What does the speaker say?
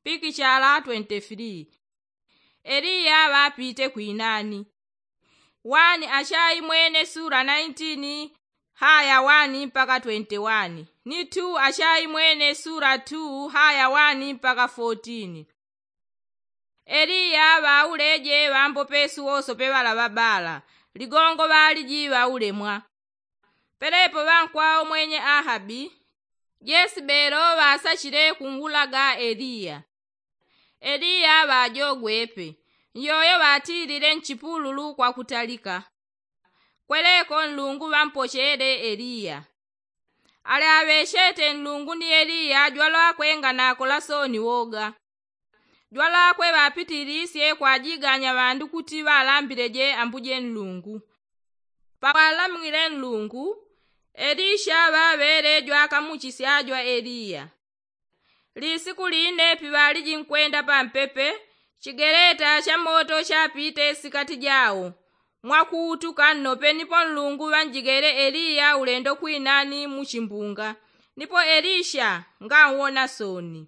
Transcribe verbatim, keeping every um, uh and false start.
pikichala twenti firii. Eliya ŵapite kwinani. Wani achaimwene sula naintini haya wani mpaka twenti wani, ni tu achaimwene sula tu haya wani mpaka fotini. Eliya ŵauleje ŵambopesu wosope ŵala ŵabala ligongo ŵaliji ŵaulemwa. Pelepo ŵankwao mwenye ahabi jesibelo ŵasachile kungulaga eliya. Eliya ŵajogwepe nyoyo ŵatilile nchipululu kwakutalika. Kweleko nlungu ŵampochele eliya. Ale aŵechete nlungu ni eliya jwalwakwe nganakola sooni woga. Jwalakwe ŵapitilisye kwajiganya ŵandu kuti ŵalambileje ambuje nlungu. Paŵalamwile nlungu elisha ŵaŵele jwakamuchisya jwa eliya. Lisiku line piŵaliji nkwenda pampepe chigeleta cha moto chapite sikati jao mwakuutuka nnope nipo nlungu ŵanjigele eliya ulendo kwinani muchimbunga. Nipo elisha nganwona sooni.